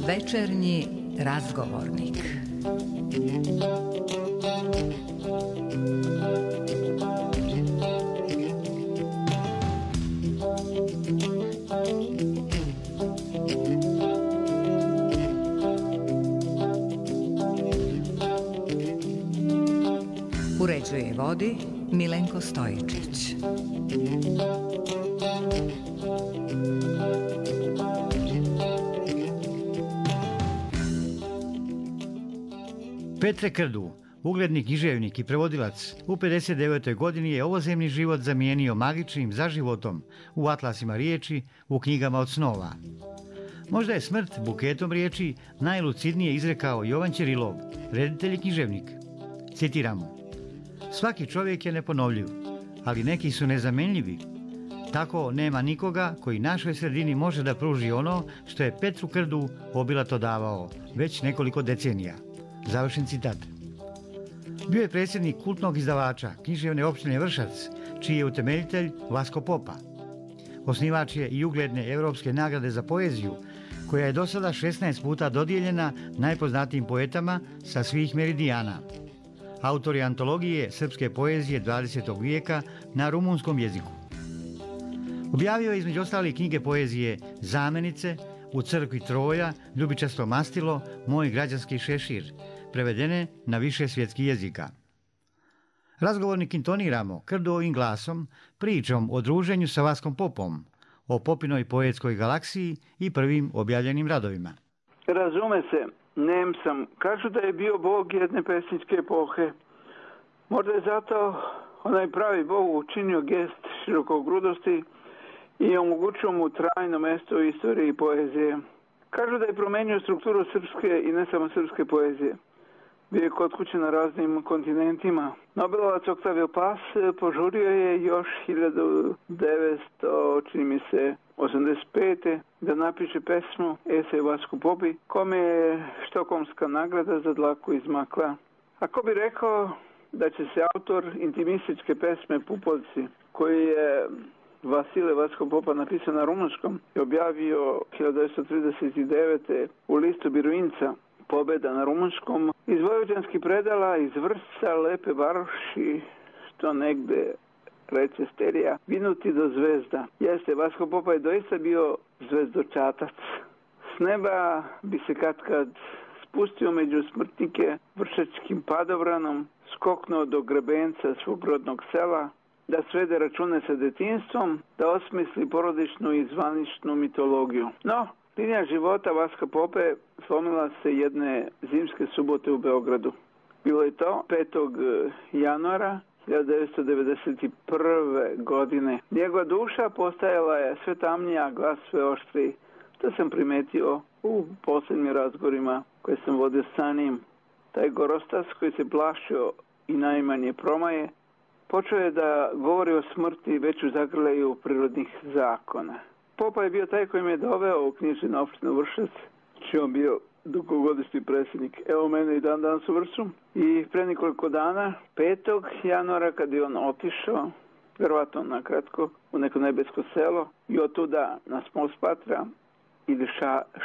Večernji razgovornik. Uređuje i vodi Milenko Stojičić. Petre Krdu, ugledni književnik i prevodilac, u 59. godini je ovozemni život zamijenio magičnim zaživotom u atlasima riječi, u knjigama od snova. Možda je smrt buketom riječi najlucidnije izrekao Jovan Ćerilov, reditelj i književnik. Citiramo: svaki čovjek je neponovljiv, ali neki su nezamenljivi. Tako nema nikoga koji našoj sredini može da pruži ono što je Petru Krdu obilato davao već nekoliko decenija. Završen citat. Bio je predsjednik kultnog izdavača književne opštine Vršac, čiji je utemeljitelj Vasko Popa. Osnivač je i ugledne Europske nagrade za poeziju, koja je do sada 16 puta dodijeljena najpoznatijim poetama sa svih meridijana. Autor je antologije srpske poezije 20. vijeka na rumunskom jeziku. Objavio je između ostalih knjige poezije Zamenice, U crkvi Troja, Ljubičasto mastilo, Moj građanski šešir, prevedene na više svjetskih jezika. Razgovornik intoniramo Krdovim glasom, pričom o druženju sa Vaskom Popom, o Popinoj poetskoj galaksiji i prvim objavljenim radovima. Razume se, nem sam. Kažu da je bio bog jedne pesničke epohe. Možda je zato onaj pravi bog učinio gest širokogrudosti i omogućio mu trajno mesto u istoriji poezije. Kažu da je promenio strukturu srpske i ne samo srpske poezije. Bio je kod kuće na raznim kontinentima. Nobelovac Octavio Paz požurio je još 1985. da napiše pesmu Esej Vasku Popi, kome je štokholmska nagrada za dlaku izmakla. A ko bi rekao da će se autor intimističke pesme Pupovci, koji je Vasile Vasko Popa napisao na rumunskom i objavio 1939. u listu Biruinca, Pobeda na rumunskom, iz vojvođanskih predala, iz Vršca, Lepe varoši, što negde reče Sterija, vinuti do zvezda. Jeste, Vasko Popa je doista bio zvezdočatac. S neba bi se kad spustio među smrtnike vršačkim padobranom, skoknuo do grebenca svog rodnog sela, da svede račune sa detinjstvom, da osmisli porodičnu i zvaničnu mitologiju. No, linija života Vaska Pope slomila se jedne zimske subote u Beogradu. Bilo je to 5. januara 1991. godine. Njegova duša postajala je sve tamnija, glas sve oštriji. To sam primetio u posljednjim razgovorima koje sam vodio sa njim. Taj gorostas koji se plašio i najmanje promaje, počeo je da govori o smrti već u zagrljaju prirodnih zakona. Popa je bio taj koji me je doveo u književnu opštinu Vršac, čiji on bio dugogodišnji predsjednik. Evo mene i dan danas u Vršcu. I pre nekoliko dana, 5. januara, kad je on otišao, vjerovatno na kratko, u neko nebesko selo, i od tuda nas pospatra ili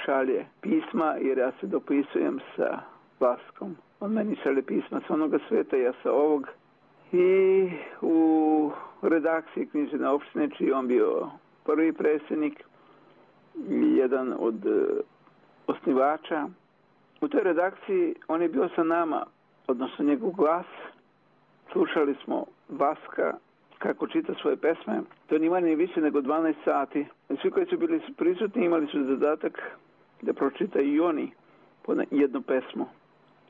šalje pisma, jer ja se dopisujem sa Vaskom. On meni šalje pisma sa onoga sveta, ja sa ovog. I u redakciji književne opštine, čiji on bio prvi predsjednik i jedan od osnivača. U toj redakciji on je bio sa nama, odnosno njegov glas. Slušali smo Vaska kako čita svoje pesme. To nije manje više nego 12 sati. Svi koji su bili prisutni imali su zadatak da pročitaju i oni po jednu pesmu.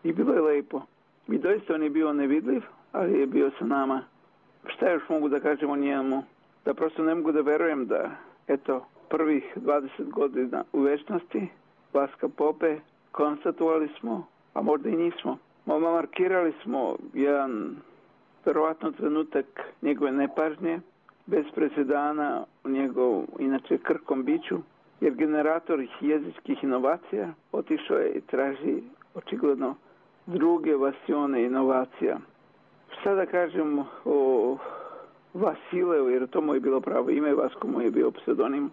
I bilo je lepo. I doista on je bio nevidljiv, ali je bio sa nama. Šta još mogu da kažem o njemu? Da prosto ne mogu da verujem da, eto, prvih 20 godina u večnosti Vaska Pope konstatovali smo, a možda i nismo. Markirali smo jedan verovatno trenutak njegove nepažnje, bez presedana u njegov, inače, krkom biću, jer generator jezičkih inovacija otišao je i traži očigledno druge vasione inovacija. Šta da kažem o Vasileu, jer to mu je bilo pravo ime, Vasko mu je bio pseudonim.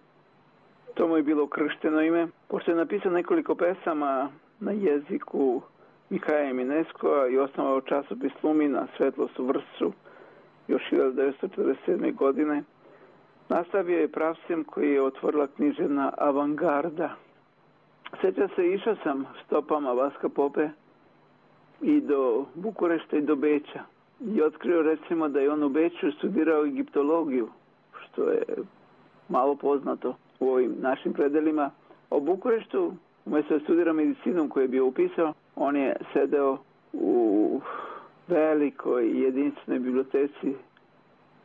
To mu je bilo kršteno ime. Pošto je napisao nekoliko pesama na jeziku Mihaja Mineskoa i osnovao časopis Lumina, Svetlost u Vršcu, još 1947. godine, nastavio je pravcem koji je otvorila književna avangarda. Sjeća se, išao sam stopama Vaska Pope i do Bukurešta i do Beća. I otkrio recimo da je on u Beću studirao egiptologiju, što je malo poznato u ovim našim predelima. U Bukureštu, umjesto da studira medicinom koju je bio upisao, on je sedeo u velikoj jedinstvenoj biblioteci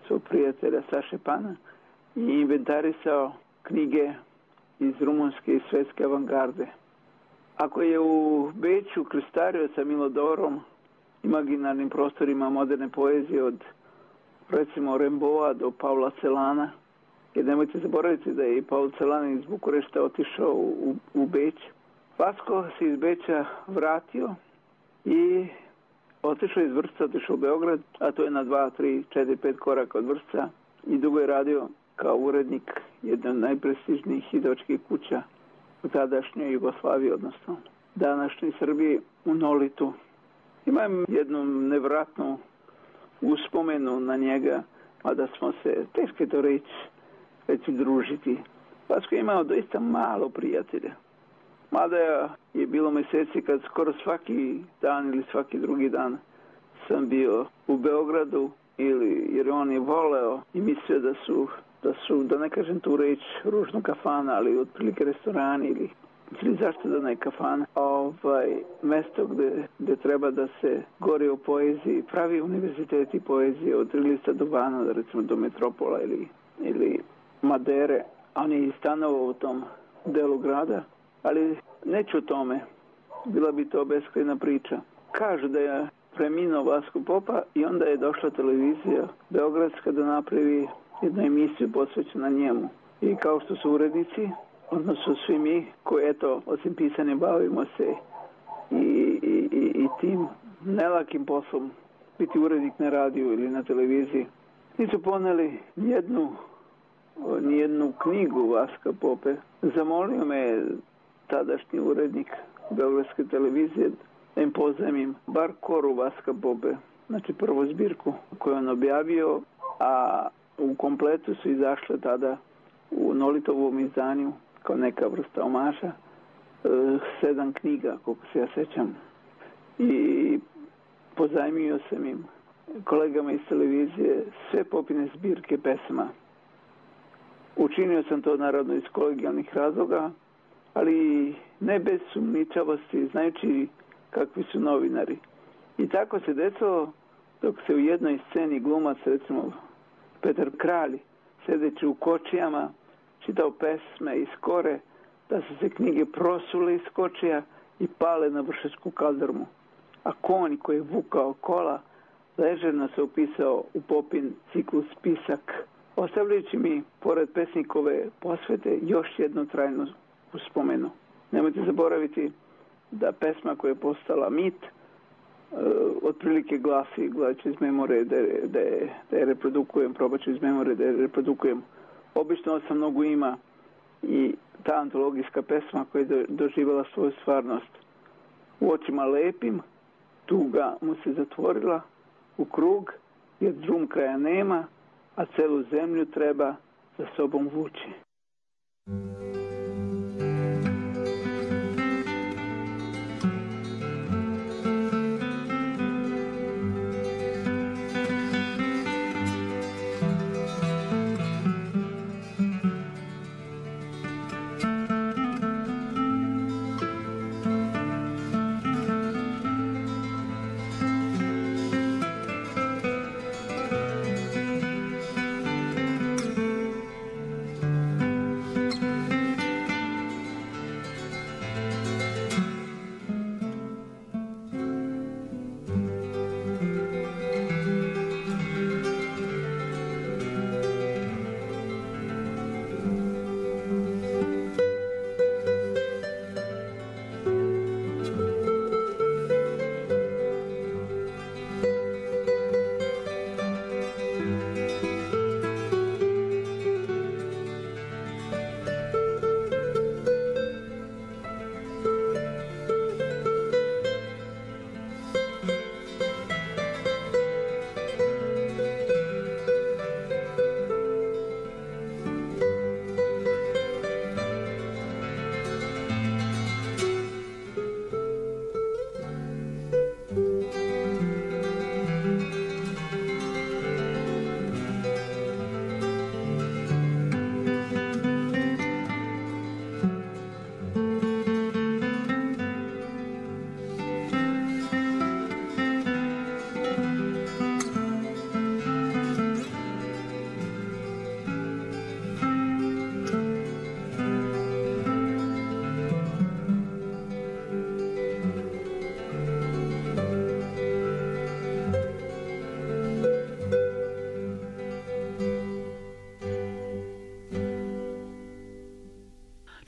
svog prijatelja Saše Pana i inventarisao knjige iz rumunske i svetske avangarde. Ako je u Beću krstario sa Milodorom, imaginarnim prostorima moderne poezije od recimo Remboa do Pavla Celana, jer nemojte zaboraviti da je i Paul Celan iz Bukurešta otišao u Beć. Vasko se iz Beća vratio i otišao iz Vršca, otišao u Beograd, a to je na 2, 3, 4, 5 koraka od Vršca i dugo je radio kao urednik jedne od najprestižnijih izdavačkih kuća u tadašnjoj Jugoslaviji, odnosno današnjoj Srbiji, u Nolitu. Imam jednu nevratnu uspomenu na njega, mada smo se, teško je to reći družiti. Vasko je imao doista malo prijatelja. Mada je bilo mjeseci kad skoro svaki dan ili svaki drugi dan sam bio u Beogradu, jer on je voleo i mislio da ne kažem tu reč ružnu kafana, ali otprilike restorani ili zašto da ne kafana, mesto gdje treba da se govori o poeziji, pravi univerziteti poezije od Trilista do Bana, recimo do Metropola ili Madere, a on je i stanovao u tom delu grada, ali neću o tome, bila bi to beskrajna priča. Kažu da je preminuo Vasko Popa i onda je došla televizija beogradska da napravi jednu emisiju posvećenu njemu. I kao što su urednici, odnosno svi mi koji eto, osim pisanja bavimo se i tim nelakim poslom, biti urednik na radiju ili na televiziji, nisu poneli nijednu knjigu Vaska Pope. Zamolio me tadašnji urednik beogradske televizije da im pozajmim bar koru Vaska Pope, znači prvu zbirku koju on objavio, a u kompletu su izašle tada u Nolitovom izdanju kao neka vrsta omaša 7 knjiga, koliko se ja sećam. I pozajmio sam im kolegama iz televizije sve Popine zbirke pesma. Učinio sam to naravno iz kolegijalnih razloga, ali ne bez sumničavosti, znajući kakvi su novinari. I tako se desilo dok se u jednoj sceni glumac, recimo Petar Kralj, sedeći u kočijama, čitao pesme iz kore, da su se knjige prosule iz kočija i pale na Vršačku kaldrmu. A konj koji je vukao kola ležerno se upisao u Popin ciklus Pisak, ostavljajući mi, pored pesnikove posvete, još jednu trajnu uspomenu. Nemojte zaboraviti da pesma koja je postala mit otprilike glasi, gledajući iz memore da je reprodukujem, probat ću iz memore da je reprodukujem. Obično sam mnogo ima i ta antologijska pesma koja je doživjela svoju stvarnost. U očima lepim, tuga mu se zatvorila u krug, jer drum kraja nema, a celu zemlju treba za sobom vući.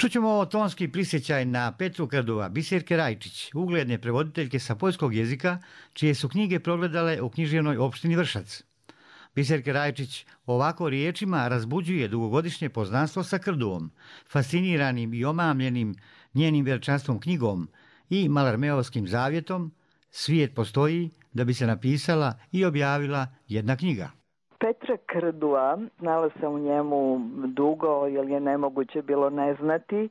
Čućemo tonski prisjećaj na Petru Krdua, Biserke Rajčić, ugledne prevoditeljke sa poljskog jezika, čije su knjige progledale u književnoj opštini Vršac. Biserke Rajčić ovako riječima razbuđuje dugogodišnje poznanstvo sa Krduom, fasciniranim i omamljenim njenim veličanstvom knjigom i Malarmeovskim zavjetom. Svijet postoji da bi se napisala i objavila jedna knjiga. Petra Krdua, znala sam u njemu dugo, jer je nemoguće bilo ne znati.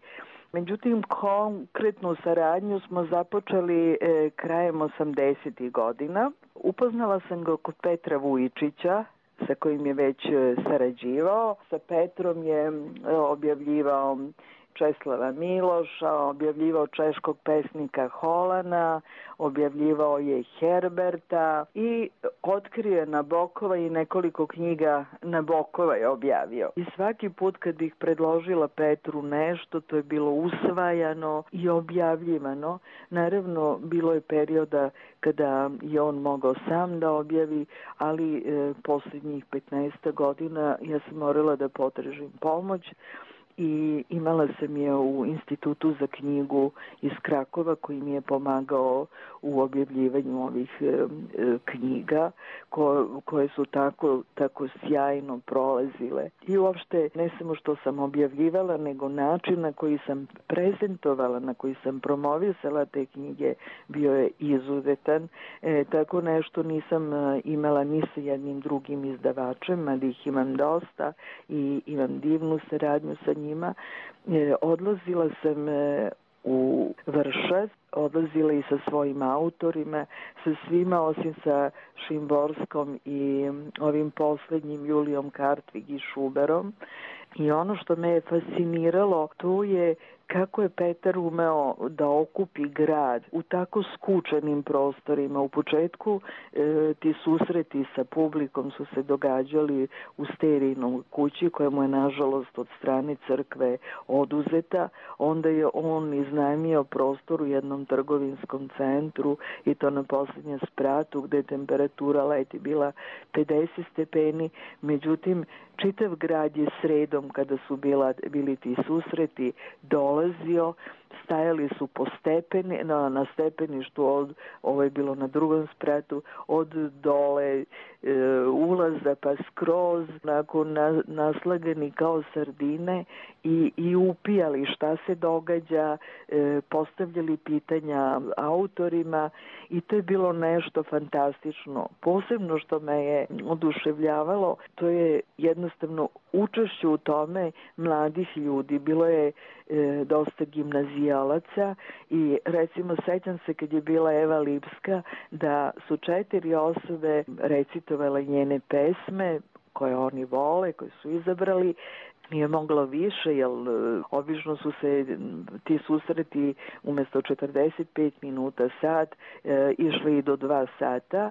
Međutim, konkretnu saradnju smo započeli krajem 80. godina. Upoznala sam ga kod Petra Vujičića, sa kojim je već sarađivao. Sa Petrom je objavljivao Česlava Miloša, objavljivao češkog pesnika Holana, objavljivao je Herberta i otkrio je Nabokova i nekoliko knjiga Nabokova je objavio. I svaki put kad bih predložila Petru nešto, to je bilo usvajano i objavljivano. Naravno, bilo je perioda kada je on mogao sam da objavi, ali posljednjih 15 godina ja sam morala da potražim pomoć. I imala sam je u Institutu za knjigu iz Krakova koji mi je pomagao u objavljivanju ovih knjiga koje su tako sjajno prolazile. I uopšte ne samo što sam objavljivala, nego način na koji sam prezentovala, na koji sam promovisala te knjige bio je izuzetan. Tako nešto nisam imala ni sa jednim drugim izdavačem, ali ih imam dosta i imam divnu saradnju sa njima. Odlazila sam u Vršac, odlazila i sa svojim autorima, sa svima osim sa Šimborskom i ovim posljednjim Julijom Kartvig i Šuberom. I ono što me je fasciniralo, to je kako je Petar umeo da okupi grad u tako skučenim prostorima. U početku ti susreti sa publikom su se događali u Sterijinoj kući, koja mu je nažalost od strane crkve oduzeta. Onda je on iznajmio prostor u jednom trgovinskom centru i to na posljednjem spratu gdje je temperatura leti bila 50 stepeni. Međutim, čitav grad je sredom kada su bili ti susreti dolazio, stajali su po na stepeništu, ovo je bilo na drugom spratu, od dole ulaza pa skroz, naslagani kao sardine i upijali šta se događa, postavljali pitanja autorima i to je bilo nešto fantastično. Posebno što me je oduševljavalo, to je jednostavno učešće u tome mladih ljudi. Bilo je dosta gimnazijalaca i recimo sećam se kad je bila Eva Lipska da su 4 osobe recitovale njene pesme koje oni vole, koje su izabrali. Nije moglo više, jer obično su se ti susreti umjesto 45 minuta sat išli i do 2 sata.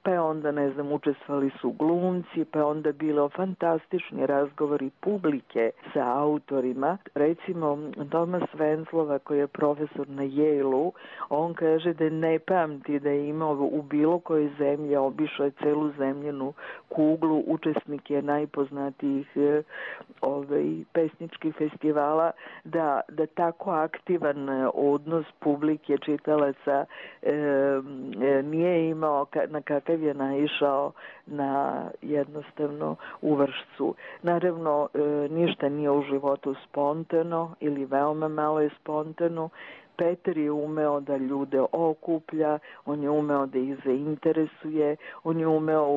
Pa je onda, učestvovali su glumci, pa je onda bilo fantastični razgovori publike sa autorima. Recimo, Tomas Venzlova, koji je profesor na Yale-u, on kaže da ne pamti da je imao u bilo kojoj zemlji, obišao je celu zemljenu kuglu, učesnik je najpoznatijih pesničkih festivala, da tako aktivan odnos publike, čitalaca nije imao na kakav je naišao na jednostavno u Vršcu. Naravno, ništa nije u životu spontano ili veoma malo je spontano. Petar je umeo da ljude okuplja, on je umeo da ih zainteresuje, on je umeo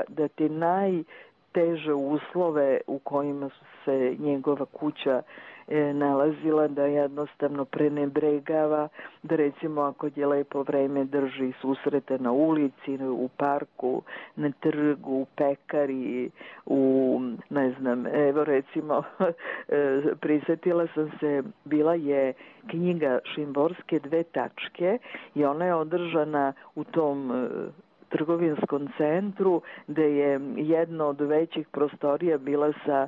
da te najteže uslove u kojima su se njegova kuća nalazila, da jednostavno prenebregava, da recimo ako je lepo vreme drži susrete na ulici, u parku, na trgu, u pekari, evo recimo prisjetila sam se, bila je knjiga Šimborske 2 tačke i ona je održana u tom trgovinskom centru gde je jedna od većih prostorija bila sa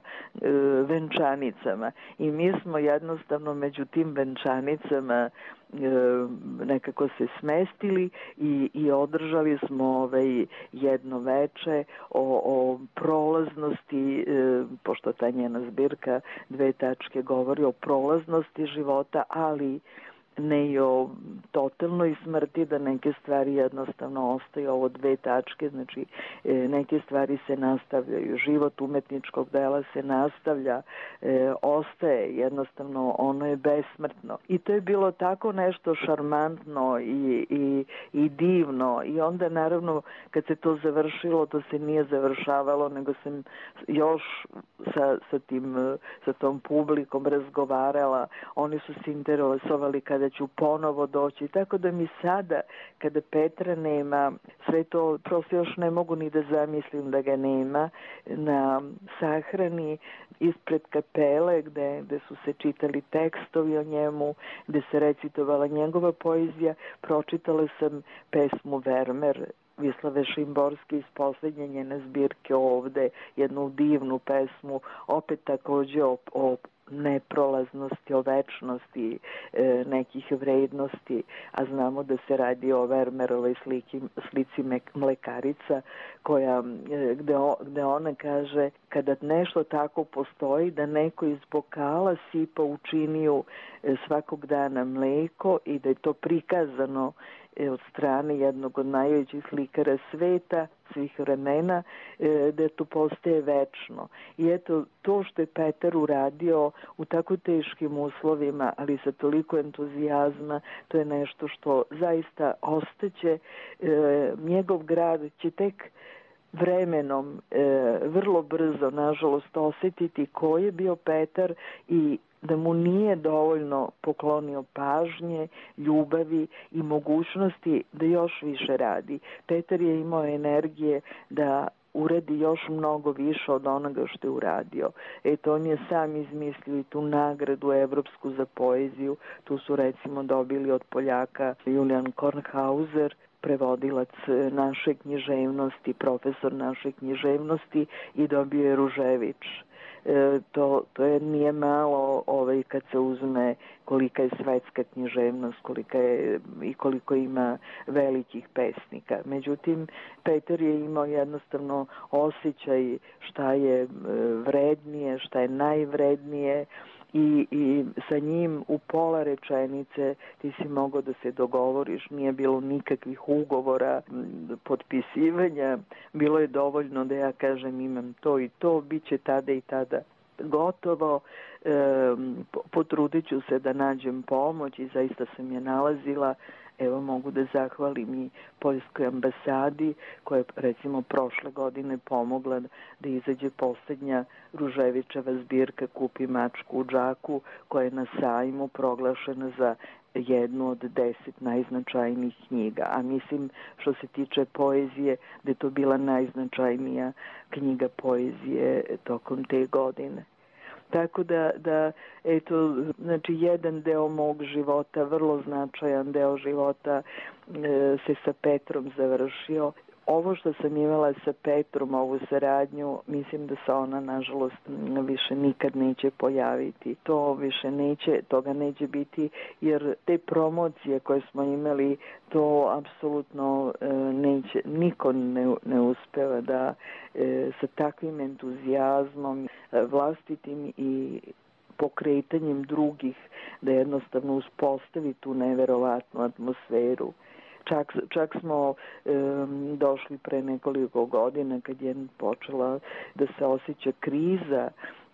venčanicama i mi smo jednostavno među tim venčanicama nekako se smestili i održali smo jedno veče o prolaznosti, pošto ta njena zbirka 2 tačke govori o prolaznosti života, ali ne i o totalnoj smrti, da neke stvari jednostavno ostaju, ovo 2 tačke, znači neke stvari se nastavljaju, život umetničkog dela se nastavlja, ostaje, jednostavno ono je besmrtno. I to je bilo tako nešto šarmantno i divno i onda naravno kad se to završilo, to se nije završavalo, nego sam još sa tom publikom razgovarala, oni su se interesovali kada ću ponovo doći, tako da mi sada, kada Petra nema, sve to prosto još ne mogu ni da zamislim da ga nema, na sahrani ispred kapele gde su se čitali tekstovi o njemu, gde se recitovala njegova poezija, pročitala sam pesmu Vermeer Vislave Šimborske iz poslednje njene zbirke Ovde, jednu divnu pesmu, opet takođe o neprolaznosti, o večnosti nekih vrednosti, a znamo da se radi o Vermeerovoj slici Mlekarica, gde ona kaže kada nešto tako postoji, da neko iz bokala sipa u činiju svakog dana mleko i da je to prikazano od strane jednog od najvećih slikara sveta, svih vremena, da to postaje večno. I eto, to što je Petar uradio u tako teškim uslovima, ali sa toliko entuzijazma, to je nešto što zaista ostaće. Njegov grad će tek vremenom, vrlo brzo, nažalost, osetiti ko je bio Petar i da mu nije dovoljno poklonio pažnje, ljubavi i mogućnosti da još više radi. Petar je imao energije da uradi još mnogo više od onoga što je uradio. Eto, on je sam izmislio i tu nagradu evropsku za poeziju. Tu su recimo dobili od Poljaka Julian Kornhauser, prevodilac naše književnosti, profesor naše književnosti, i dobio je Ružević. To nije malo kad se uzme kolika je svetska književnost, koliko ima velikih pesnika. Međutim, Petar je imao jednostavno osjećaj šta je vrednije, šta je najvrednije, i sa njim u pola rečenice ti si mogao da se dogovoriš, nije bilo nikakvih ugovora, potpisivanja, bilo je dovoljno da ja kažem imam to i to, bit će tada i tada gotovo, potrudit ću se da nađem pomoć i zaista sam je nalazila. Evo, mogu da zahvalim i Poljskoj ambasadi koja je recimo prošle godine pomogla da izađe poslednja Ruževićeva zbirka Kupi mačku u džaku, koja je na sajmu proglašena za jednu od 10 najznačajnijih knjiga. A mislim, što se tiče poezije, da je to bila najznačajnija knjiga poezije tokom te godine. Tako da, eto, znači jedan deo mog života, vrlo značajan deo života se sa Petrom završio. Ovo što sam imala sa Petrom, ovu saradnju, mislim da se ona, nažalost, više nikad neće pojaviti. Toga neće biti, jer te promocije koje smo imali, to apsolutno niko ne uspeva da sa takvim entuzijazmom, vlastitim i pokretanjem drugih, da jednostavno uspostavi tu neverovatnu atmosferu. Čak smo došli pre nekoliko godina kad je počela da se osjeća kriza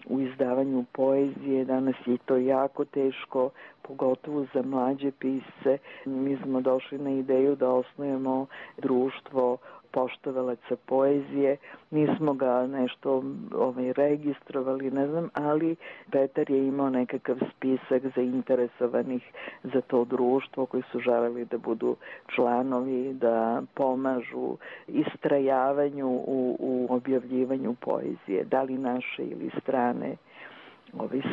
u izdavanju poezije. Danas je to jako teško, pogotovo za mlađe pisce. Mi smo došli na ideju da osnujemo društvo poštovalaca poezije. Nismo ga nešto registrovali, ne znam, ali Petar je imao nekakav spisak zainteresovanih za to društvo koji su želeli da budu članovi, da pomažu istrajavanju u objavljivanju poezije, da li naše ili strane.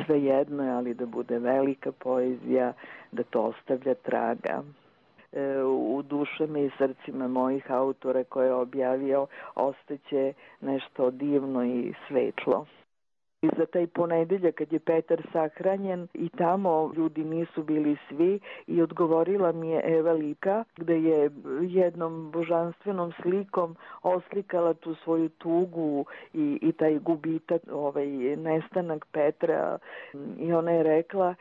Sve jedno je, ali da bude velika poezija, da to ostavlja traga. u dušama i srcima mojih autora koje je objavio ostaće nešto divno i svetlo. I za taj ponedeljak kad je Petar sahranjen i tamo ljudi nisu bili svi i odgovorila mi je Eva Lika gde je jednom božanstvenom slikom oslikala tu svoju tugu i taj gubitak, nestanak Petra i ona je rekla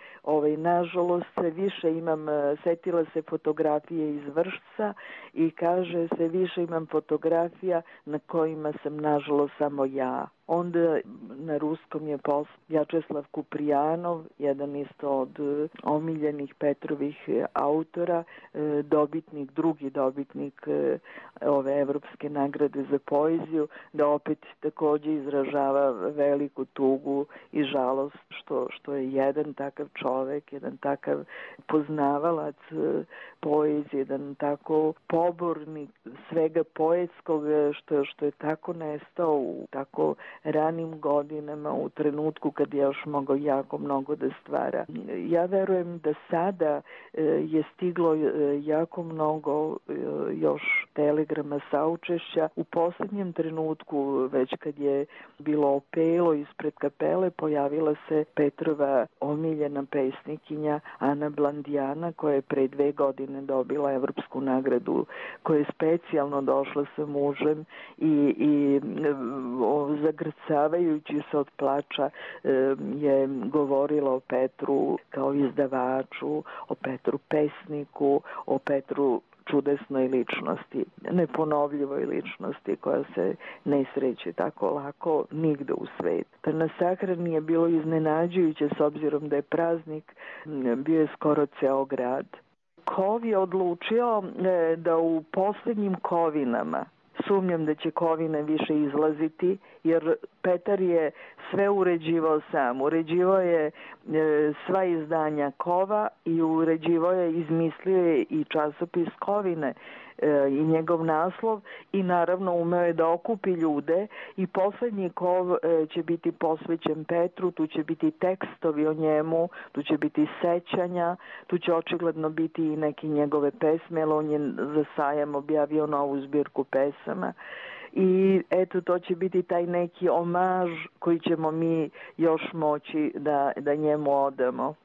nažalost sve više imam, setila se fotografije iz Vršca i kaže sve više imam fotografija na kojima sam nažalost samo ja. Onda na ruskom je Vjačeslav Kuprijanov, jedan isto od omiljenih Petrovih autora, drugi dobitnik ove evropske nagrade za poeziju, da opet takođe izražava veliku tugu i žalost što je jedan takav čovek, jedan takav poznavalac poezije, jedan tako pobornik svega poetskog, što je tako nestao u tako ranim godinama, u trenutku kad je još mogao jako mnogo da stvara. Ja verujem da sada je stiglo jako mnogo još telegrama saučešća. U poslednjem trenutku, već kad je bilo opelo ispred kapele, pojavila se Petrova omiljena pesnikinja Ana Blandijana, koja je pre 2 godine dobila evropsku nagradu, koja je specijalno došla sa mužem i zagrcavajući se od plača je govorila o Petru kao izdavaču, o Petru pesniku, o Petru čudesnoj ličnosti, neponovljivoj ličnosti koja se ne sreće tako lako nigde u svetu. Na sahrani je bilo iznenađujuće s obzirom da je praznik, bio je skoro ceo grad. Kov je odlučio da u poslednjim kovinama, sumnjam da će kovine više izlaziti, jer Petar je sve uređivao sam. Uređivao je sva izdanja Kova i uređivao je, izmislio je i časopis Kovine i njegov naslov i naravno umeo je da okupi ljude i poslednji Kov će biti posvećen Petru, tu će biti tekstovi o njemu, tu će biti sećanja, tu će očigledno biti i neke njegove pesme, ali on je za sajam objavio novu zbirku pesama. I eto, to će biti taj neki omaž koji ćemo mi još moći da njemu odamo.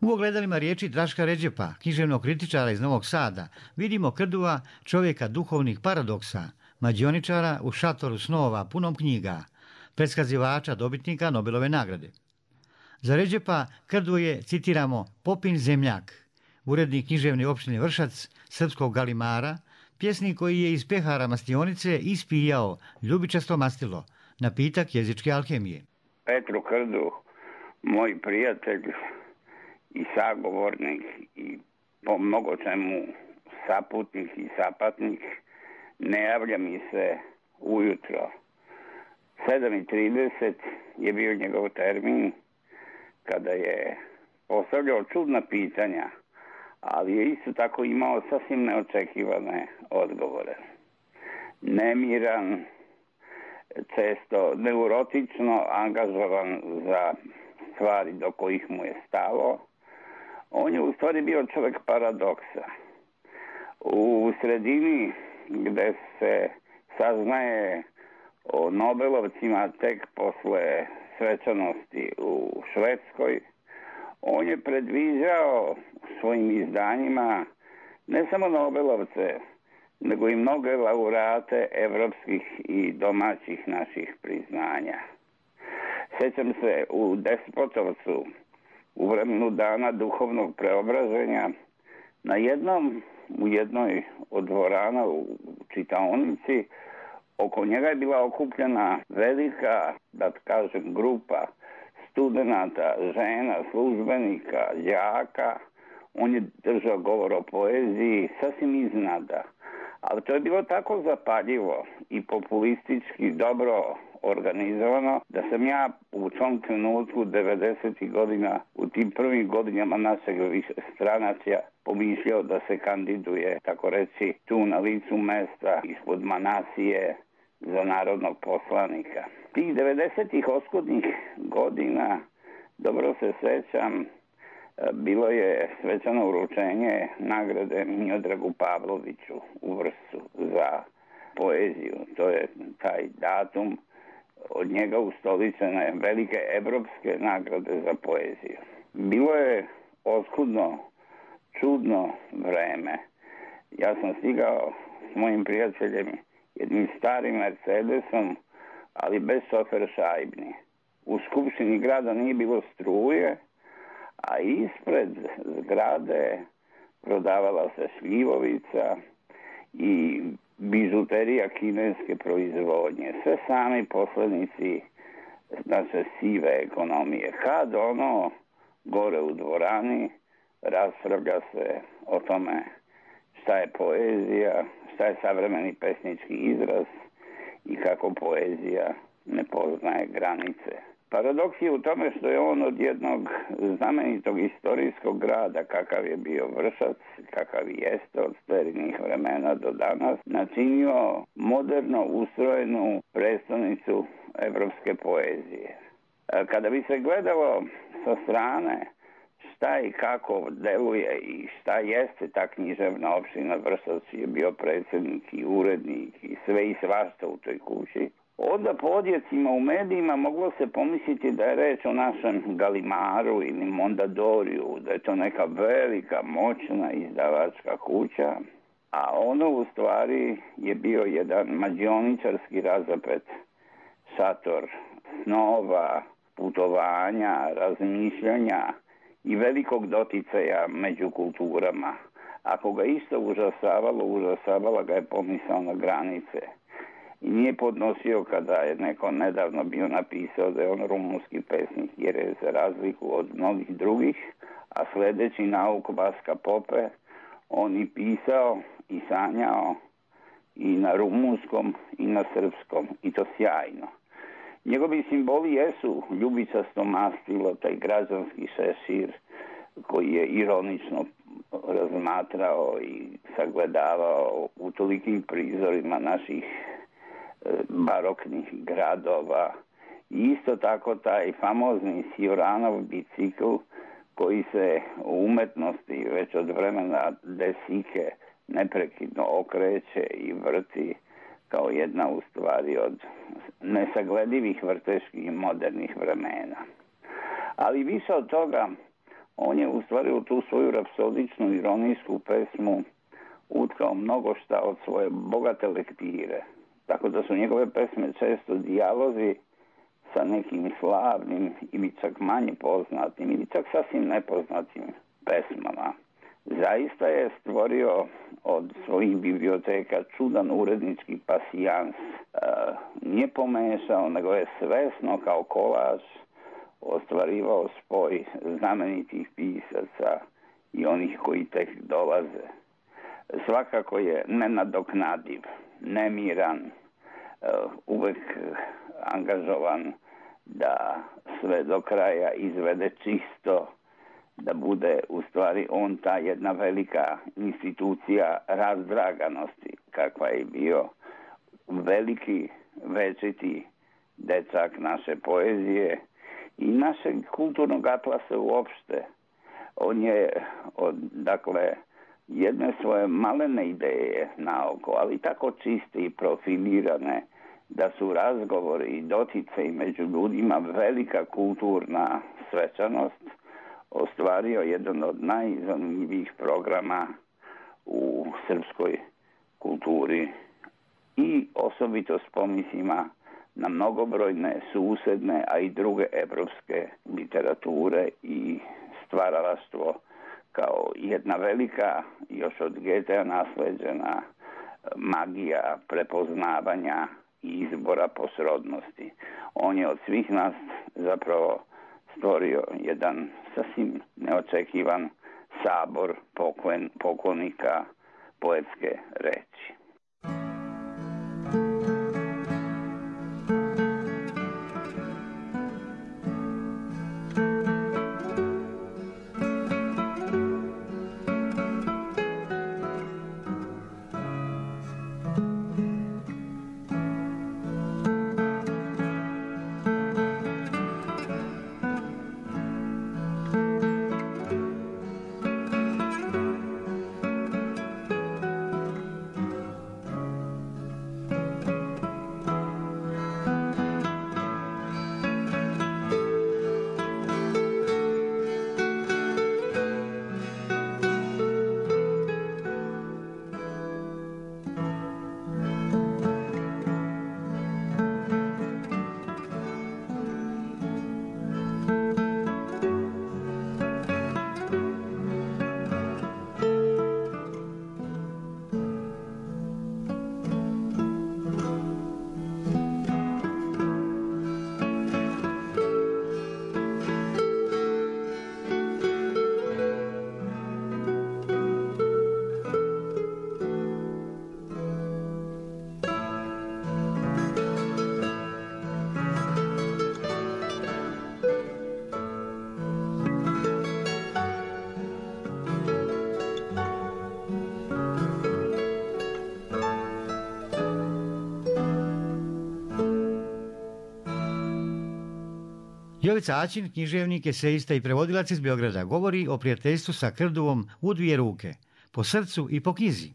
U ogledalima riječi Draška Ređepa, književnog kritičara iz Novog Sada, vidimo Krdua, čovjeka duhovnih paradoksa, mađioničara u šatoru snova punom knjiga, predskazivača dobitnika Nobelove nagrade. Za Ređepa Krdu je, citiramo, Popin zemljak, urednik književne opštine Vršac, srpskog galimara, pjesnik koji je iz pehara mastionice ispijao ljubičasto mastilo, napitak jezičke alhemije. Petru Krdu, moj prijatelj i sagovornik i po mnogo čemu saputnik i sapatnik, ne javlja mi se ujutro. 7:30 je bio njegov termin kada je postavljao čudna pitanja, ali je isto tako imao sasvim neočekivane odgovore. Nemiran, često neurotično angažovan za stvari do kojih mu je stalo, on je u stvari bio čovjek paradoksa. U sredini gde se saznaje o Nobelovcima tek posle svečanosti u Švedskoj. On je predviđao svojim izdanjima ne samo Nobelovce, nego i mnoge laureate evropskih i domaćih naših priznanja. Sjećam se u Despotovcu, u vremenu dana duhovnog preobraženja, u jednoj od dvorana u čitaonici, oko njega je bila okupljena velika, da kažem, grupa studenata, žena, službenika, đaka. On je držao govor o poeziji sasvim iznada. Ali to je bilo tako zapaljivo i populistički dobro organizovano da sam ja u tom trenutku 90. godina, u tim prvim godinama našeg stranacija, pomišljao da se kandiduje, tako reći, tu na licu mesta ispod Manasije za narodnog poslanika. Tih 90. oskudnih godina, dobro se sećam, bilo je svečano uručenje nagrade Miodragu Pavloviću u Vršcu za poeziju. To je taj datum. Od njega ustoličene velike evropske nagrade za poeziju. Bilo je oskudno, čudno vreme. Ja sam stigao s mojim prijateljem jednim starim Mercedesom, ali bez šofer šajbni. U skupštini grada nije bilo struje, a ispred zgrade prodavala se šljivovica i bižuterija kineske proizvodnje. Sve sami poslednici naše sive ekonomije. Kad ono gore u dvorani raspravlja se o tome šta je poezija, šta je savremeni pesnički izraz i kako poezija ne poznaje granice. Paradoks je u tome što je on od jednog znamenitog istorijskog grada, kakav je bio Vršac, kakav jeste od starih vremena do danas, načinio moderno ustrojenu prestonicu evropske poezije. Kada bi se gledalo sa strane šta i kako deluje i šta jeste ta književna opština Vršac, je bio predsjednik i urednik i sve i svašta u toj kući, onda po odjecima u medijima moglo se pomisliti da je reč o našem Galimaru ili Mondadoriju, da je to neka velika, moćna izdavačka kuća, a ono u stvari je bio jedan mađioničarski razapet šator snova, putovanja, razmišljanja i velikog doticaja među kulturama. Ako ga isto užasavala ga je pomisao na granice. I nije podnosio kada je neko nedavno bio napisao da je on rumunski pesnik, jer je za razliku od mnogih drugih, a sledeći nauk Vaska Pope, on i pisao i sanjao i na rumunskom i na srpskom, i to sjajno. Njegovi simboli jesu ljubičasto mastilo, taj građanski šešir koji je ironično razmatrao i sagledavao u tolikim prizorima naših baroknih gradova. I isto tako taj famozni Sioranov bicikl koji se u umetnosti već od vremena Desike neprekidno okreće i vrti kao jedna u stvari od nesagledivih vrteških modernih vremena. Ali više od toga, on je u stvari u tu svoju rapsodičnu ironijsku pesmu utkao mnogo šta od svoje bogate lektire. Tako da su njegove pesme često dijalozi sa nekim slavnim ili čak manje poznatim ili čak sasvim nepoznatim pesmama. Zaista je stvorio od svojih biblioteka čudan urednički pasijans. Nije pomešao, nego je svesno kao kolaž ostvarivao spoj znamenitih pisaca i onih koji tek dolaze. Svakako je nenadoknadiv, nemiran, uvek angažovan da sve do kraja izvede čisto, da bude u stvari on ta jedna velika institucija razdraganosti, kakva je bio veliki, večiti dečak naše poezije i našeg kulturnog atlasa uopšte. On je od, jedne svoje malene ideje naoko, ali tako čiste i profilirane, da su razgovori i doticaj među ljudima velika kulturna svečanost, ostvario jedan od najzanimljivijih programa u srpskoj kulturi i osobito s pomislima na mnogobrojne susedne, a i druge evropske literature i stvaralaštvo kao jedna velika, još od Goethea nasleđena magija prepoznavanja i izbora po srodnosti. On je od svih nas zapravo stvorio jedan sasvim neočekivan sabor poklonika poetske reči. Jovica Aćin, književnik, esejista i prevodilac iz Beograda, govori o prijateljstvu sa Krduvom u dvije ruke, po srcu i po knjizi.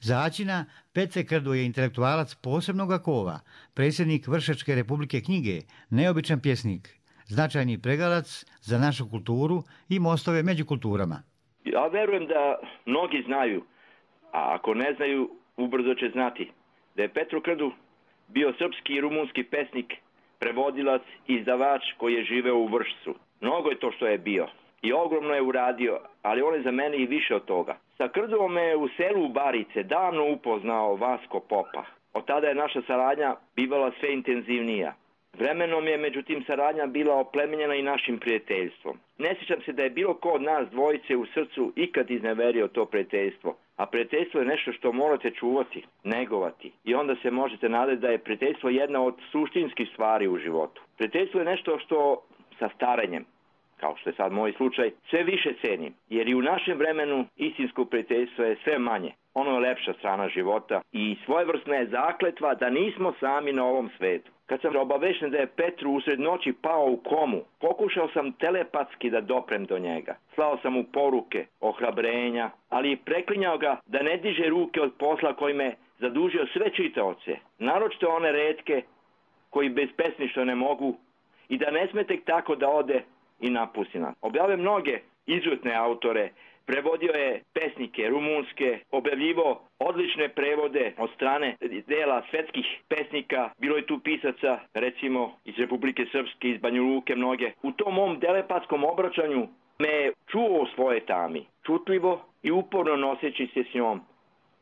Za Aćina, Pece Krdu je intelektualac posebnog kova, predsjednik Vršačke republike knjige, neobičan pjesnik, značajni pregalac za našu kulturu i mostove među kulturama. Ja verujem da mnogi znaju, a ako ne znaju, ubrzo će znati, da je Petro Krdu bio srpski i rumunski pesnik, prevodilac i izdavač koji je živeo u Vršcu. Mnogo je to što je bio i ogromno je uradio, ali on je za mene i više od toga. Sa Krdovom me u selu Barice davno upoznao Vasko Popa. Od tada je naša saradnja bivala sve intenzivnija. Vremenom je međutim saradnja bila oplemenjena i našim prijateljstvom. Ne sjećam se da je bilo ko od nas dvojice u srcu ikad izneverio to prijateljstvo. A prijateljstvo je nešto što morate čuvati, negovati. I onda se možete nadati da je prijateljstvo jedna od suštinskih stvari u životu. Prijateljstvo je nešto što sa starenjem, kao što je sad moj slučaj, sve više cenim. Jer i u našem vremenu istinsko prijateljstvo je sve manje. Ono je lepša strana života i svojevrsna je zakletva da nismo sami na ovom svetu. Kad sam obavešten da je Petru usred noći pao u komu, pokušao sam telepatski da doprem do njega. Slao sam mu poruke, ohrabrenja, ali i preklinjao ga da ne diže ruke od posla koji me zadužio sve čitaoce, naročito one retke koji bez pesništva ne mogu, i da ne sme tek tako da ode i napusti nas. Objavio mnoge izuzetne autore, prevodio je pesnike rumunske, objavljivo odlične prevode od strane dela svetskih pesnika. Bilo je tu pisaca, recimo iz Republike Srpske, iz Banja Luke mnoge. U tom mom telepatskom obraćanju me čuo u svoje tami, čutljivo i uporno noseći se s njom,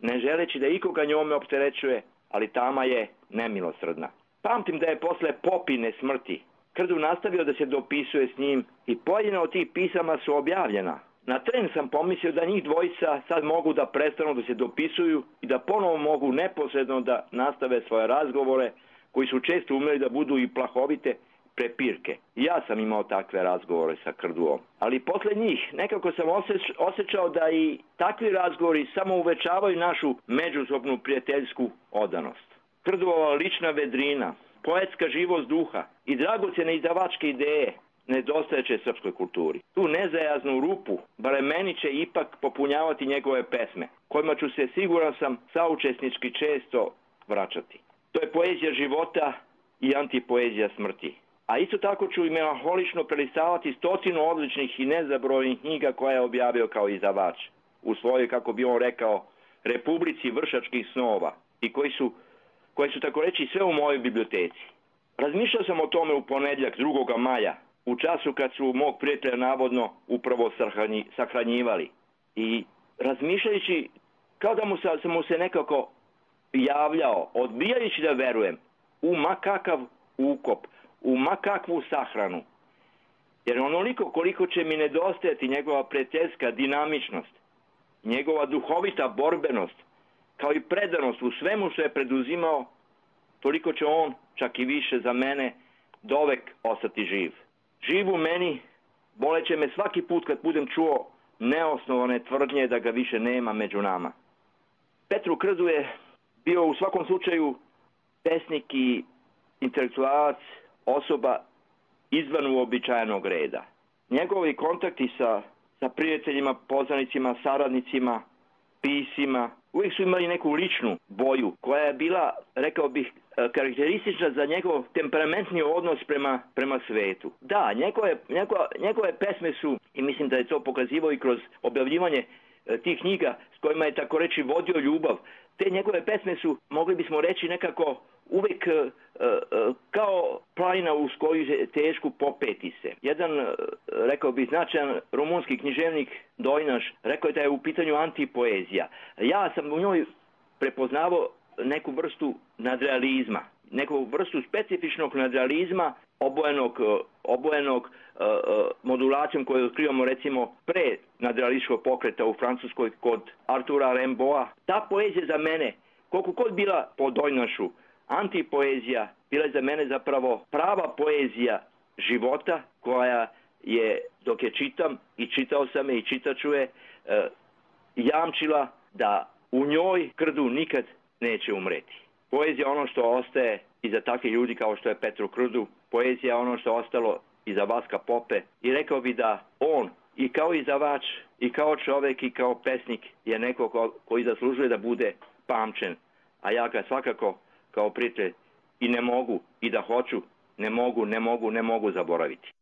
ne želeći da ikoga njome opterećuje, ali tama je nemilosrdna. Pamtim da je posle Popine smrti Krdu nastavio da se dopisuje s njim i pojedina od tih pisama su objavljena. Na tren sam pomislio da njih dvojica sad mogu da prestanu da se dopisuju i da ponovo mogu neposredno da nastave svoje razgovore, koji su često umeli da budu i plahovite prepirke. Ja sam imao takve razgovore sa Krduom. Ali posle njih nekako sam osjećao da i takvi razgovori samo uvećavaju našu međusobnu prijateljsku odanost. Krduova lična vedrina, poetska živost duha i dragocjene izdavačke ideje nedostajeće srpskoj kulturi. Tu nezajaznu rupu, barem meni će ipak popunjavati njegove pesme, kojima ću se, siguran sam, saučesnički često vraćati. To je poezija života i antipoezija smrti. A isto tako ću i melanholično prelistavati 100 odličnih i nezabrojnih knjiga koje je objavio kao izdavač u svojoj, kako bi on rekao, republici vršačkih snova i koji su tako reći sve u mojoj biblioteci. Razmišljao sam o tome u ponedjeljak 2. maja, u času kad su mog prijatelja navodno upravo sahranjivali. I razmišljajući, kao da sam mu se nekako javljao, odbijajući da verujem u makakav ukop, u makakvu sahranu. Jer onoliko koliko će mi nedostajati njegova prijateljska dinamičnost, njegova duhovita borbenost, kao i predanost u svemu što je preduzimao, toliko će on, čak i više za mene, dovek ostati živ. Živ u meni, boleće me svaki put kad budem čuo neosnovane tvrdnje da ga više nema među nama. Petru Krdu je bio u svakom slučaju pesnik i intelektualac, osoba izvan uobičajenog reda. Njegovi kontakti sa prijateljima, poznanicima, saradnicima, pisima, uvijek su imali neku ličnu boju koja je bila, rekao bih, karakteristična za njegov temperamentni odnos prema svetu. Da, njegove pesme su, i mislim da je to pokazivao i kroz objavljivanje tih knjiga s kojima je tako reći vodio ljubav, te njegove pesme su, mogli bismo reći, nekako uvijek kao planina uz koju je teško popeti se. Jedan, rekao bih, značajan rumunski književnik Dojnaš rekao je da je u pitanju antipoezija. Ja sam u njoj prepoznavao neku vrstu nadrealizma, neku vrstu specifičnog nadrealizma obojenog modulacijom koju otkrivamo recimo pre nadrealističkog pokreta u Francuskoj kod Artura Rimbaуда. Ta poezija za mene, koliko god bila po Dojnašu antipoezija, bila je za mene zapravo prava poezija života koja je, dok je čitam i čitao sam je i čitaću je, jamčila da u njoj Krdu nikad neće umreti. Poezija je ono što ostaje iza takvih ljudi kao što je Petru Krdu, poezija je ono što je ostalo iza Vaska Pope i rekao bi da on i kao izdavač, i kao čovjek, i kao pesnik je neko koji zaslužuje da bude pamćen, a ja ga svakako kao prijatelj i ne mogu, i da hoću, ne mogu zaboraviti.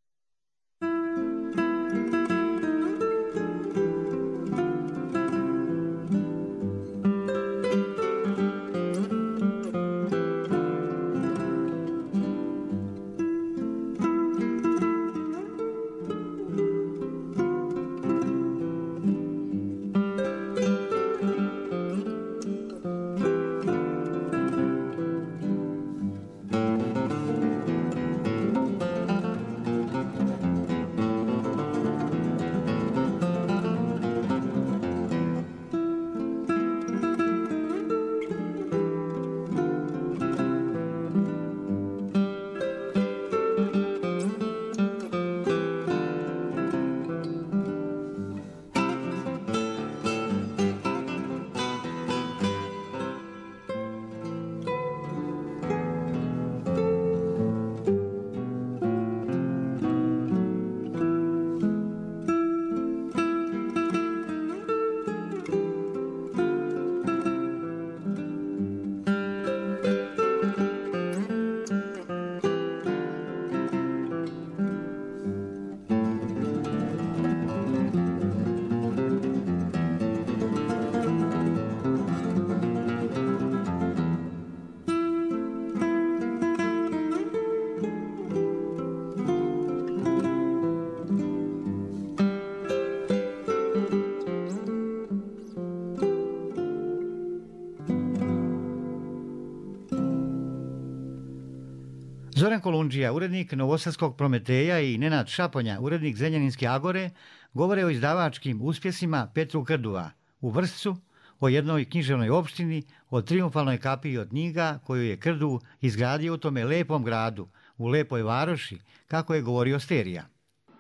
Zoran Kolundžija, urednik Novosadskog Prometeja i Nenad Šaponja, urednik Zrenjaninske Agore, govore o izdavačkim uspjesima Petru Krdua u Vršcu, o jednoj književnoj opštini, o trijumfalnoj kapiji od knjiga koju je Krdu izgradio u tome lepom gradu, u lepoj varoši, kako je govorio Sterija.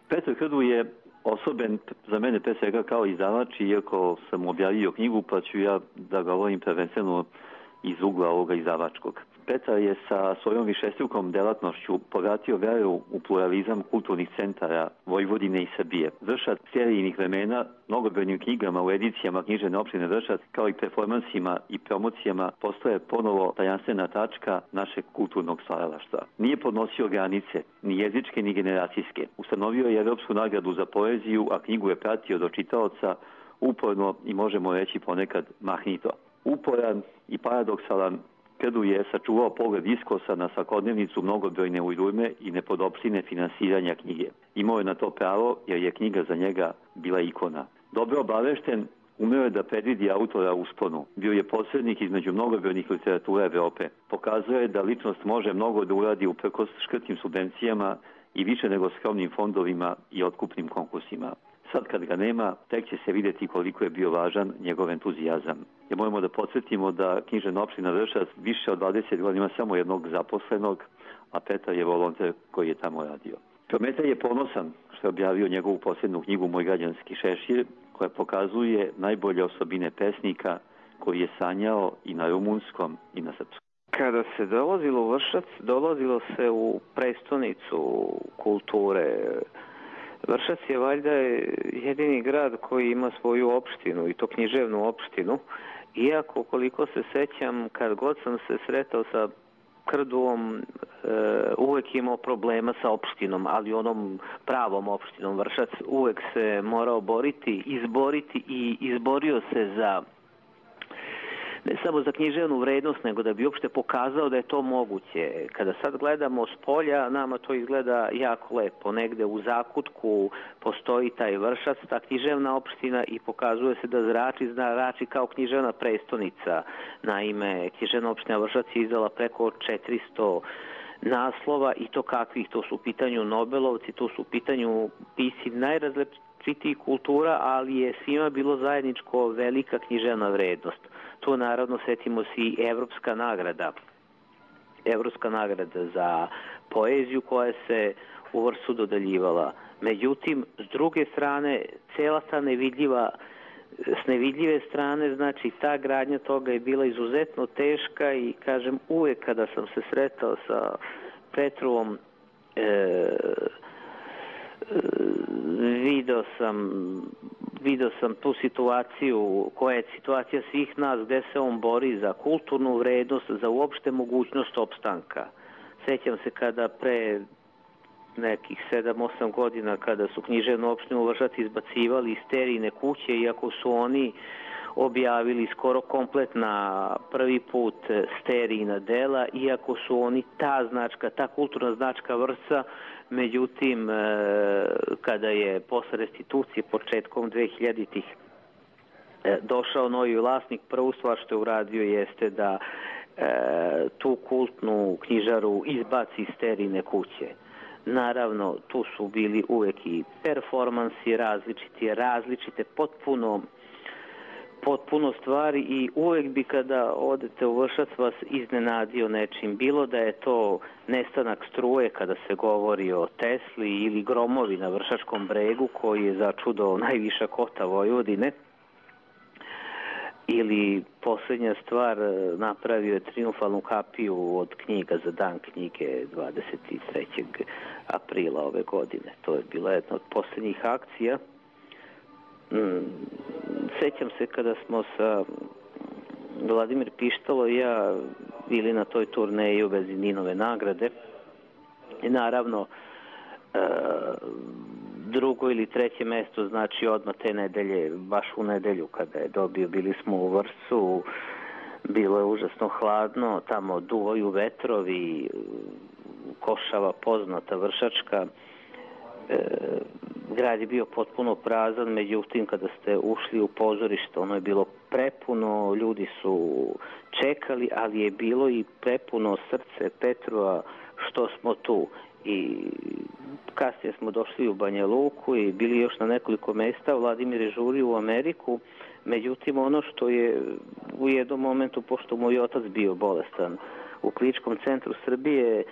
Petar Krdu je osoben za mene pre svega kao izdavač, iako sam objavio knjigu, pa ću ja da govorim prvenstveno iz ugla ovoga izdavačkog. Petar je sa svojom višestrukom delatnošću povratio veru u pluralizam kulturnih centara Vojvodine i Srbije. Vršac serijnih vremena, mnogobrojnim knjigama u edicijama književne opštine Vršac, kao i performansima i promocijama, postoje ponovo tajanstvena tačka našeg kulturnog stvaralaštva. Nije podnosio granice, ni jezičke, ni generacijske. Ustanovio je Evropsku nagradu za poeziju, a knjigu je pratio do čitaoca uporno i možemo reći ponekad mahnito. Uporan i paradoksalan, Krdu je sačuvao pogled iskosa na svakodnevnicu mnogobrojne ujdurme i nepodopštine finansiranja knjige. Imao je na to pravo jer je knjiga za njega bila ikona. Dobro obavešten, umeo je da predvidi autora u usponu. Bio je posrednik između mnogobrojnih literatura Evrope. Pokazuje je da ličnost može mnogo da uradi uprkos škrtnim subvencijama i više nego skromnim fondovima i otkupnim konkursima. Sad kad ga nema, tek će se vidjeti koliko je bio važan njegov entuzijazam. Jer moramo da podsjetimo da književna opština Vršac više od 20 godina ima samo jednog zaposlenog, a Petar je volonter koji je tamo radio. Prometej je ponosan što je objavio njegovu posljednju knjigu Moj građanski šešir, koja pokazuje najbolje osobine pesnika koji je sanjao i na rumunskom i na srpskom. Kada se dolazilo u Vršac, dolazilo se u prestonicu kulture. Vršac je valjda jedini grad koji ima svoju opštinu, i to književnu opštinu. Iako, koliko se sećam, kad god sam se sretao sa Krduom, uvek imao problema sa opštinom, ali onom pravom opštinom. Vršac uvek se morao izboriti i izborio se za ne samo za književnu vrednost, nego da bi uopšte pokazao da je to moguće. Kada sad gledamo s polja, nama to izgleda jako lepo. Negde u zakutku postoji taj Vršac, ta književna opština, i pokazuje se da zrači kao književna prestonica. Naime, književna opština Vršac je izdala preko 400 naslova, i to kakvih? To su u pitanju Nobelovci, to su u pitanju pisci najrazličitijih kultura, ali je svima bilo zajedničko velika književna vrednost. To naravno, setimo se, i Evropska nagrada za poeziju koja se u Vršcu dodeljivala. Međutim, s druge strane, cela ta s nevidljive strane, znači ta gradnja toga je bila izuzetno teška, i kažem, uvek kada sam se sretao sa Petrovom, video sam tu situaciju koja je situacija svih nas, gde se on bori za kulturnu vrednost, za uopšte mogućnost opstanka. Sećam se kada pre nekih 7-8 godina, kada su književnu opštinu Vršac izbacivali iz sterijne kuće, iako su oni objavili skoro kompletna prvi put sterijna dela, iako su oni ta kulturna značka Vršca. Međutim, kada je posle restitucije početkom 2000-ih došao novi vlasnik, prvu stvar što je uradio jeste da tu kultnu knjižaru izbaci iz sterijne kuće. Naravno, tu su bili uvek i performansi različite, potpuno stvari, i uvek bi kada odete u Vršac vas iznenadio nečim. Bilo da je to nestanak struje kada se govori o Tesli, ili gromovi na Vršačkom bregu koji je začudo najviša kota Vojvodine, ili posljednja stvar, napravio je triumfalnu kapiju od knjiga za dan knjige 23. aprila ove godine. To je bila jedna od posljednjih akcija. Sećam se kada smo sa Vladimir Pištalo i ja bili na toj turneji u vezi Ninove nagrade, i naravno drugo ili treće mesto, znači odmah te nedelje, baš u nedelju kada je dobio, bili smo u Vršcu, bilo je užasno hladno, tamo duvaju vetrovi, Košava poznata vršačka, grad je bio potpuno prazan. Međutim, kada ste ušli u pozorište, ono je bilo prepuno, ljudi su čekali, ali je bilo i prepuno srce Petrova što smo tu. I kasnije smo došli u Banja Luku i bili još na nekoliko mesta. Vladimir je žurio u Ameriku. Međutim, ono što je u jednom momentu, pošto moj otac bio bolestan u Kliničkom centru Srbije,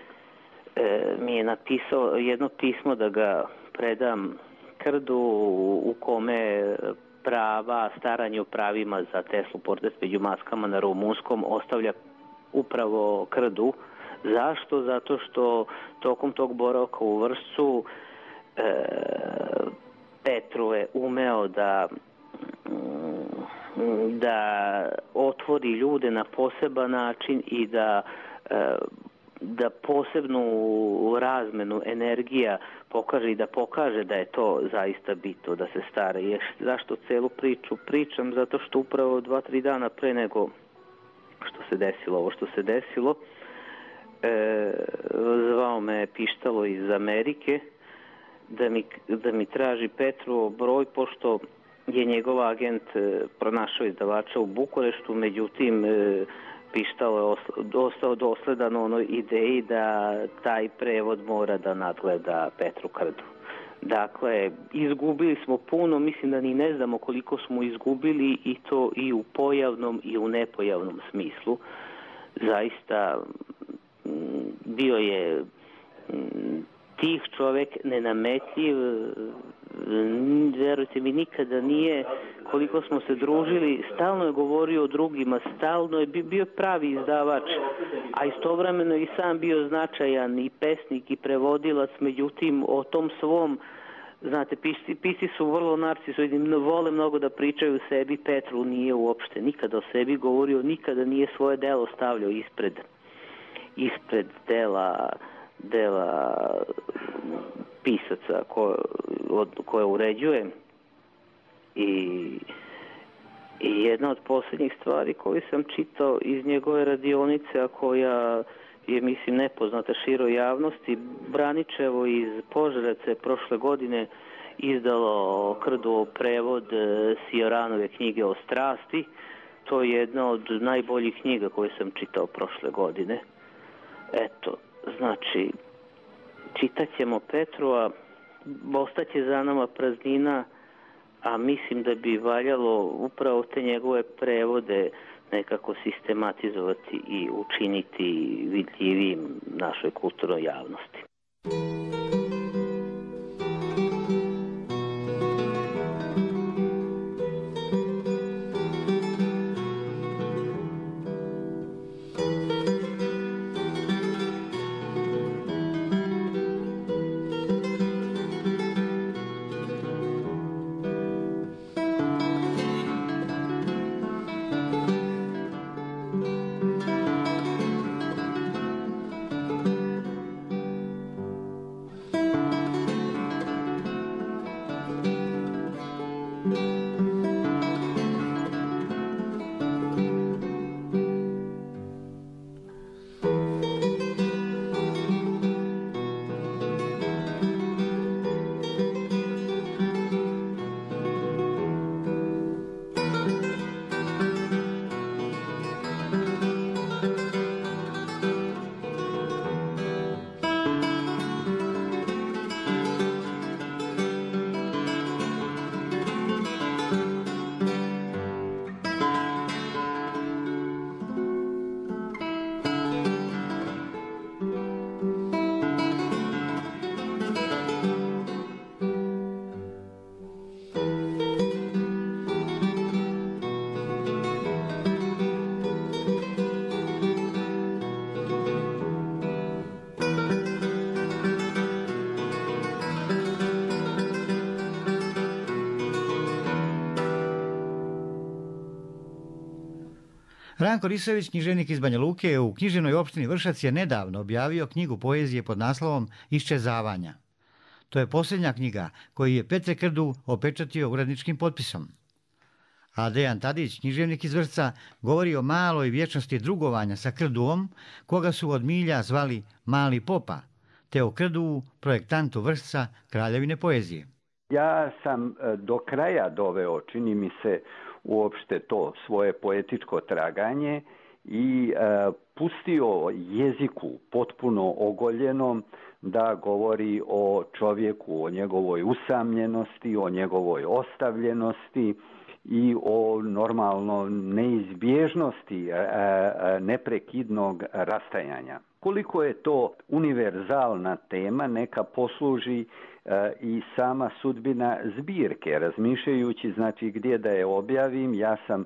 mi je napisao jedno pismo da ga predam Krdu, u kome staranje o pravima za Teslu, portret među maskama na rumunskom, ostavlja upravo Krdu. Zašto? Zato što tokom tog boravka u Vršcu Petru je umeo da otvori ljude na poseban način i da posebnu razmenu energija pokaže i da pokaže da je to zaista bitno da se stara. Zašto celu priču pričam? Zato što upravo 2-3 dana pre nego što se desilo ovo što se desilo, zvao me Pištalo iz Amerike da mi traži Petru broj, pošto je njegov agent pronašao izdavača u Bukureštu, međutim Pištalo je ostao dosledan onoj ideji da taj prevod mora da nadgleda Petru Krdu. Dakle, izgubili smo puno, mislim da ni ne znamo koliko smo izgubili, i to i u pojavnom i u nepojavnom smislu. Zaista bio je tih čovek, nenametljiv, verujte mi, nikada nije, koliko smo se družili, stalno je govorio o drugima, stalno je bio pravi izdavač, a istovremeno i sam bio značajan i pesnik i prevodilac, međutim o tom svom, znate, pisci su vrlo narcisoidni, vole mnogo da pričaju o sebi. Petru nije uopšte nikada o sebi govorio, nikada nije svoje delo stavljao ispred dela pisaca koje uređuje. I jedna od posljednjih stvari koju sam čitao iz njegove radionice, a koja je, mislim, nepoznata široj javnosti, Braničevo iz Požarevca prošle godine izdalo Krduov prevod Sioranove knjige o strasti. To je jedna od najboljih knjiga koje sam čitao prošle godine. Eto, znači, čitat ćemo Petru, a ostaće za nama praznina, a mislim da bi valjalo upravo te njegove prevode nekako sistematizovati i učiniti vidljivim našoj kulturnoj javnosti. Ranko Risović, književnik iz Banja Luke, u književnoj opštini Vršac je nedavno objavio knjigu poezije pod naslovom Iščezavanja. To je posljednja knjiga koju je Petre Krdu opečatio uredničkim potpisom. A Dejan Tadić, književnik iz Vršca, govori o maloj vječnosti drugovanja sa Krduom, koga su od milja zvali Mali Popa, te o Krdu, projektantu Vršca, kraljevine poezije. Ja sam do kraja doveo, čini mi se, uopšte to svoje poetičko traganje i pustio jeziku potpuno ogoljenom da govori o čovjeku, o njegovoj usamljenosti, o njegovoj ostavljenosti i o normalno neizbježnosti neprekidnog rastajanja. Koliko je to univerzalna tema, neka posluži i sama sudbina zbirke. Razmišljajući znači gdje da je objavim, ja sam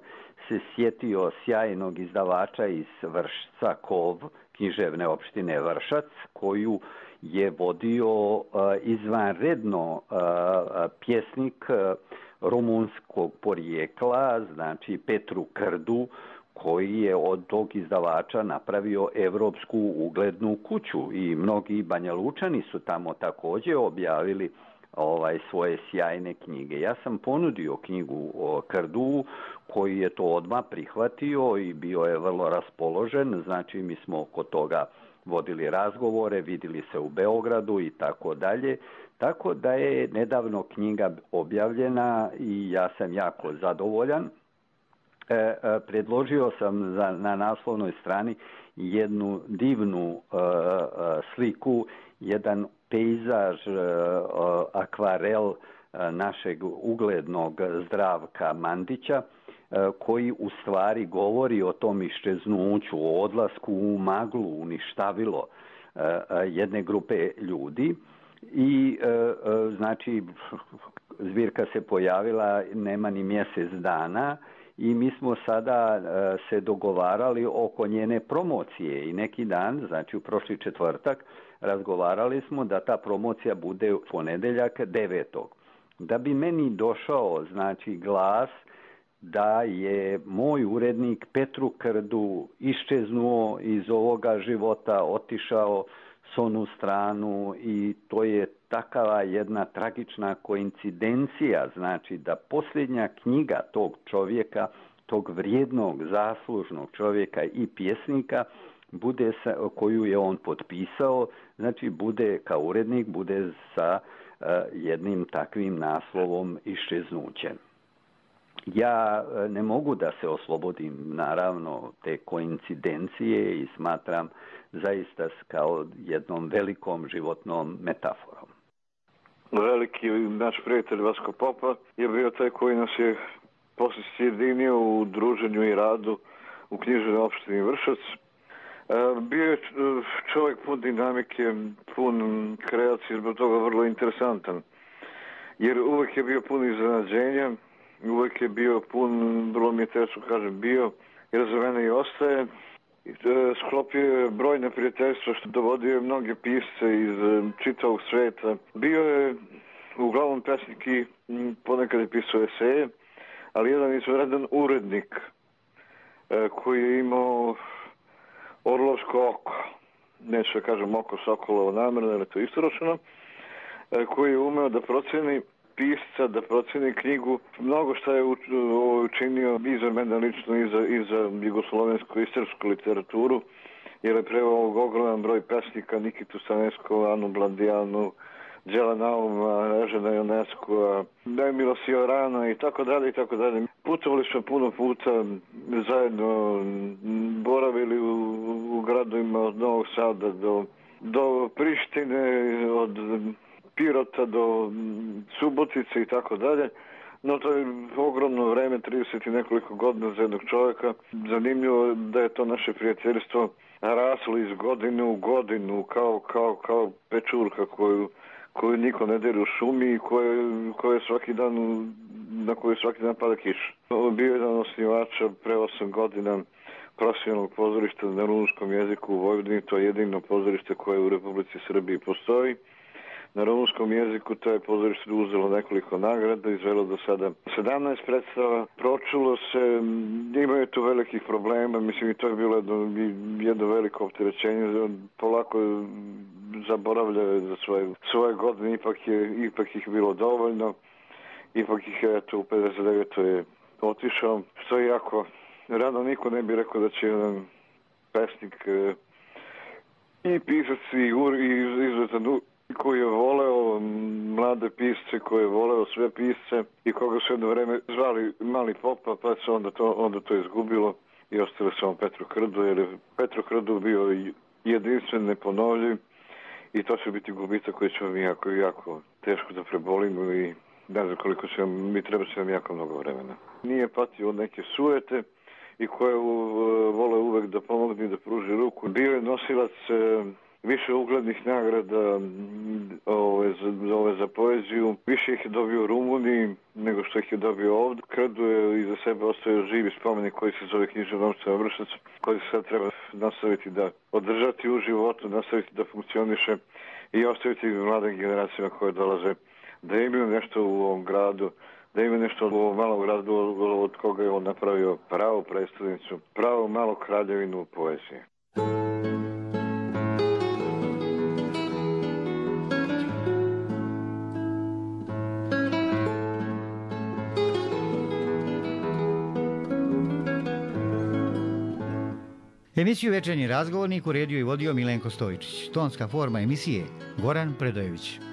se sjetio sjajnog izdavača iz Vršca, KOV, književne opštine Vršac, koju je vodio izvanredno pjesnik rumunskog porijekla, znači Petru Krdu, koji je od tog izdavača napravio evropsku uglednu kuću i mnogi Banjalučani su tamo također objavili svoje sjajne knjige. Ja sam ponudio knjigu o Krdu, koji je to odmah prihvatio i bio je vrlo raspoložen, znači mi smo oko toga vodili razgovore, vidjeli se u Beogradu i tako dalje. Tako da je nedavno knjiga objavljena i ja sam jako zadovoljan. Predložio sam na naslovnoj strani jednu divnu sliku, jedan pejzaž, akvarel našeg uglednog Zdravka Mandića, koji u stvari govori o tom iščeznuću, o odlasku u maglu, uništavilo jedne grupe ljudi. I znači zbirka se pojavila nema ni mjesec dana i mi smo sada se dogovarali oko njene promocije i neki dan, znači u prošli četvrtak, razgovarali smo da ta promocija bude u ponedjeljak 9. Da bi meni došao znači glas da je moj urednik Petru Krdu iščeznuo iz ovoga života, otišao s onu stranu i to je takava jedna tragična koincidencija, znači da posljednja knjiga tog čovjeka, tog vrijednog, zaslužnog čovjeka i pjesnika, bude koju je on potpisao, znači bude kao urednik, bude sa jednim takvim naslovom iščeznuće. Ja ne mogu da se oslobodim, naravno, te koincidencije i smatram zaista kao jednom velikom životnom metaforom. Veliki naš prijatelj Vasko Popa je bio taj koji nas je poslije sjedinio u druženju i radu u književnoj opštini Vršac. Bio je čovjek pun dinamike, pun kreacije, zbog toga vrlo interesantan. Jer uvijek je bio pun iznenađenja, uvijek je bio pun, vrlo mi je teško kažem bio, jer za mene i ostaje. Sklopio je brojne prijateljstva što dovodio je mnoge pisce iz čitavog sveta. Bio je uglavnom pesnik i ponekad je pisao eseje, ali jedan izvanredan urednik koji je imao orlovsko oko, neću da kažem oko sokolovo namjerno, ali to je istoročeno, koji je umeo da proceni pisca, da proceni knjigu. Mnogo što je učinio i za mene lično i za jugoslovensku istorijsku literaturu, jer je preveo ogroman broj pesnika, Nikitu Staneskova, Anu Blandijanu, Đela Nauma, Ežena Ionescu, Emila Siorana i tako dalje i tako dalje. Putovali smo puno puta zajedno, boravili u gradovima od Novog Sada do Prištine, od Pirota do Subotice i tako dalje. No to je ogromno vreme, 30 i nekoliko godina za jednog čovjeka. Zanimljivo da je to naše prijateljstvo raslo iz godine u godinu kao pečurka koju niko ne dere u šumi i na koju svaki dan pada kiša. Bio je jedan osnivača pre 8 godina profesionalnog pozorišta na rumunskom jeziku u Vojvodini. To je jedino pozorište koje u Republici Srbiji postoji. Na rumunskom jeziku to je pozorište uzelo nekoliko nagrada, izvelo do sada 17 predstava. Pročulo se, imaju tu velikih problema, mislim i to je bilo jedno veliko opterećenje, polako zaboravljaju za svoje godine, ipak ih bilo dovoljno, ipak ih eto u 59. je otišao, što je jako rano, niko ne bi rekao da će jedan pesnik i pisac i izuzetan koji je voleo mlade pisce, koji je voleo sve pisce i koga su jedno vreme zvali Mali Popa, pa se onda to izgubilo i ostalo samo Petru Krdu, jer je Petru Krdu bio jedinstven, neponovljiv i to će biti gubitak koji će vam jako teško da prebolimo i ne znam koliko će vam, mi treba će vam jako mnogo vremena. Nije patio od neke sujete i koje vole uvek da pomogne i da pruži ruku. Bio je nosilac više uglednih nagrada za poeziju. Više ih je dobio u Rumuniji nego što ih je dobio ovdje. Krdu je iza sebe ostavio živi spomenik koji se zove Književna opština Vršac, koji se sad treba nastaviti da održati u životu, nastaviti da funkcioniše i ostaviti mladim generacijama koje dolaze da imaju nešto u ovom gradu, da ima nešto u ovom malom gradu od koga je on napravio pravu predstavnicu, pravu malu kraljevinu poezije. Emisiju Večernji razgovornik uredio i vodio Milenko Stojičić. Tonska forma emisije Goran Predojević.